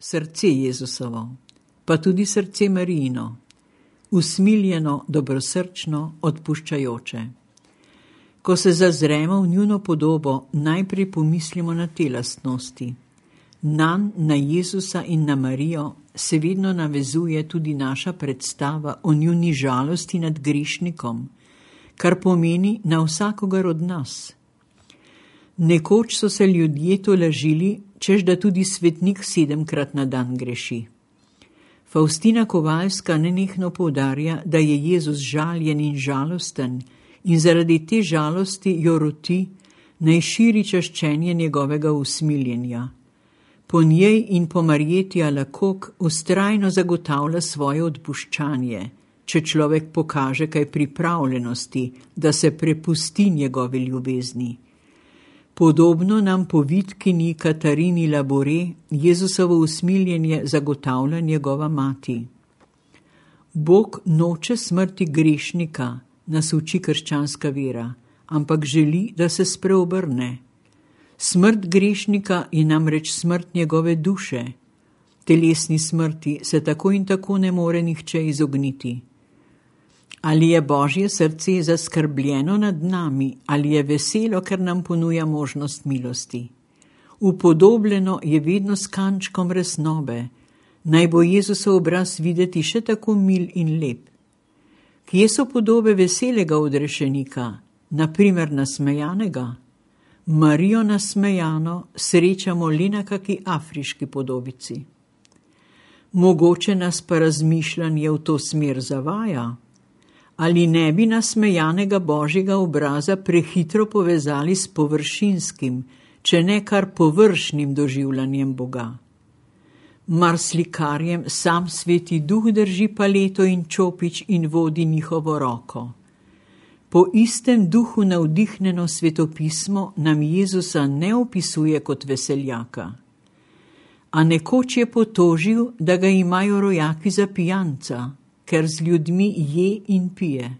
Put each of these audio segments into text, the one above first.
srce Jezusovo, pa tudi srce Marijino, usmiljeno, dobrosrčno, odpuščajoče. Ko se zazremo v njuno podobo, najprej pomislimo na te lastnosti. Nanj, na Jezusa in na Marijo se vedno navezuje tudi naša predstava o njuni žalosti nad grešnikom, kar pomeni na vsakogar od nas. Nekoč so se ljudje tolažili, češ da tudi svetnik 7-krat na dan greši. Faustina Kovalska nenehno poudarja, da je Jezus žaljen in žalosten in zaradi te žalosti jo roti, naj širi čaščenje njegovega usmiljenja. Po njej in po Marjeti Alakok vztrajno zagotavlja svoje odpuščanje, če človek pokaže kaj pripravljenosti, da se prepusti njegovi ljubezni. Podobno nam po Vitkini Katarini Labore Jezusovo usmiljenje zagotavlja njegova mati. Bog noče smrti grešnika, nas uči krščanska vera, ampak želi, da se spreobrne. Smrt grešnika je namreč smrt njegove duše. Telesni smrti se tako in tako ne more nihče izogniti. Ali je Božje srce zaskrbljeno nad nami, ali je veselo, ker nam ponuja možnost milosti? Upodobljeno je vedno s kančkom resnobe, naj bo Jezusov obraz videti še tako mil in lep. Kje so podobe veselega odrešenika, naprimer nasmejanega? Marijo nasmejano srečamo le na kaki afriški podobici. Mogoče nas pa razmišljanje v to smer zavaja. Ali ne bi nasmejanega Božjega obraza prehitro povezali s površinskim, če ne kar površnim doživljanjem Boga? Mar slikarjem sam Sveti Duh drži paleto in čopič in vodi njihovo roko? Po istem duhu navdihnjeno svetopismo nam Jezusa ne opisuje kot veseljaka. A nekoč je potožil, da ga imajo rojaki za pijanca, ker z ljudmi je in pije.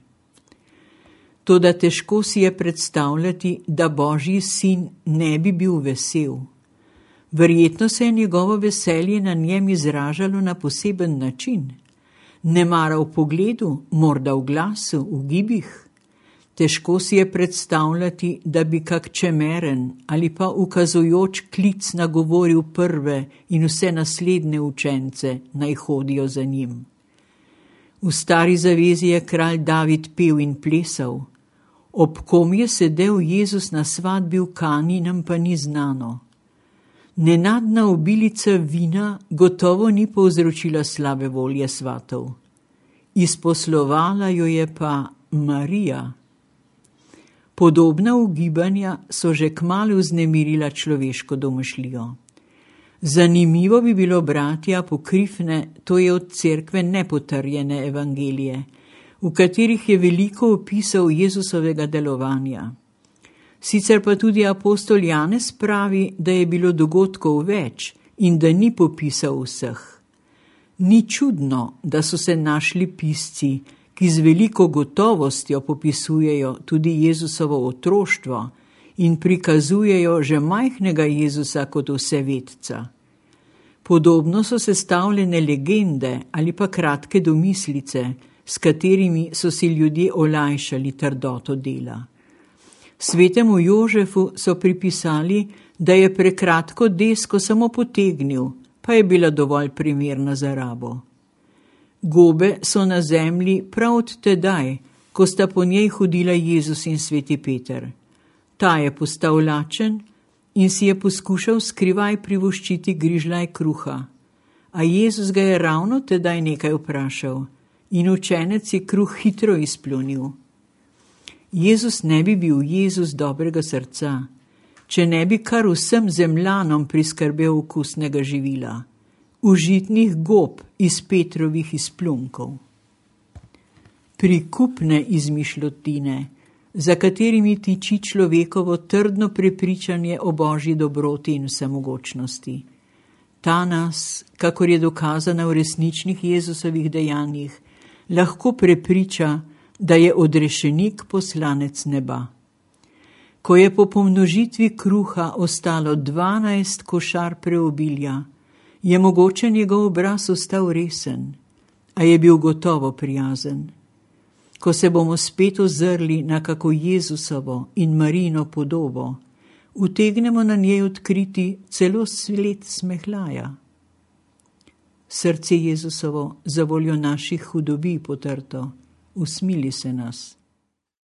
Toda težko si je predstavljati, da Božji sin ne bi bil vesel. Verjetno se je njegovo veselje na njem izražalo na poseben način. Nemara v pogledu, morda v glasu, v gibih. Težko si je predstavljati, da bi kak čemeren ali pa ukazujoč klic nagovoril prve in vse naslednje učence, naj hodijo za njim. V Stari zavezi je kralj David pel in plesal. Ob kom je sedel Jezus na svatbi v Kani, nam pa ni znano. Nenadna obilica vina gotovo ni povzročila slabe volje svatov. Izposlovala jo je pa Marija. Podobna ugibanja so že kmalu vznemirila človeško domišljijo. Zanimivo bi bilo brati apokrifne, to je od cerkve nepotrjene evangelije, v katerih je veliko opisov Jezusovega delovanja. Sicer pa tudi apostol Janez pravi, da je bilo dogodkov več in da ni popisal vseh. Ni čudno, da so se našli pisci, ki z veliko gotovostjo popisujejo tudi Jezusovo otroštvo in prikazujejo že majhnega Jezusa kot vsevedca. Podobno so sestavljene legende ali pa kratke domislice, s katerimi so si ljudje olajšali trdoto dela. Svetemu Jožefu so pripisali, da je prekratko desko samo potegnil, pa je bila dovolj primerna za rabo. Gobe so na zemlji prav od tedaj, ko sta po njej hodila Jezus in sveti Peter. Ta je postal lačen in si je poskušal skrivaj privoščiti grižljaj kruha. A Jezus ga je ravno tedaj nekaj vprašal in učenec je kruh hitro izpljunil. Jezus ne bi bil Jezus dobrega srca, če ne bi kar vsem zemljanom priskrbel okusnega živila, užitnih gob iz Petrovih izplunkov. Prikupne izmišljotine, za katerimi tiči človekovo trdno prepričanje o Božji dobroti in vsemogočnosti. Ta nas, kakor je dokazana v resničnih Jezusovih dejanjih, lahko prepriča, da je odrešenik poslanec neba. Ko je po pomnožitvi kruha ostalo 12 košar preobilja, Je mogoče njegov obraz ostal resen, a je bil gotovo prijazen. Ko se bomo spet ozrli na kako Jezusovo in Marijino podobo, utegnemo na njej odkriti celo sled smehljaja. Srce Jezusovo za voljo naših hudobij potrto, usmili se nas.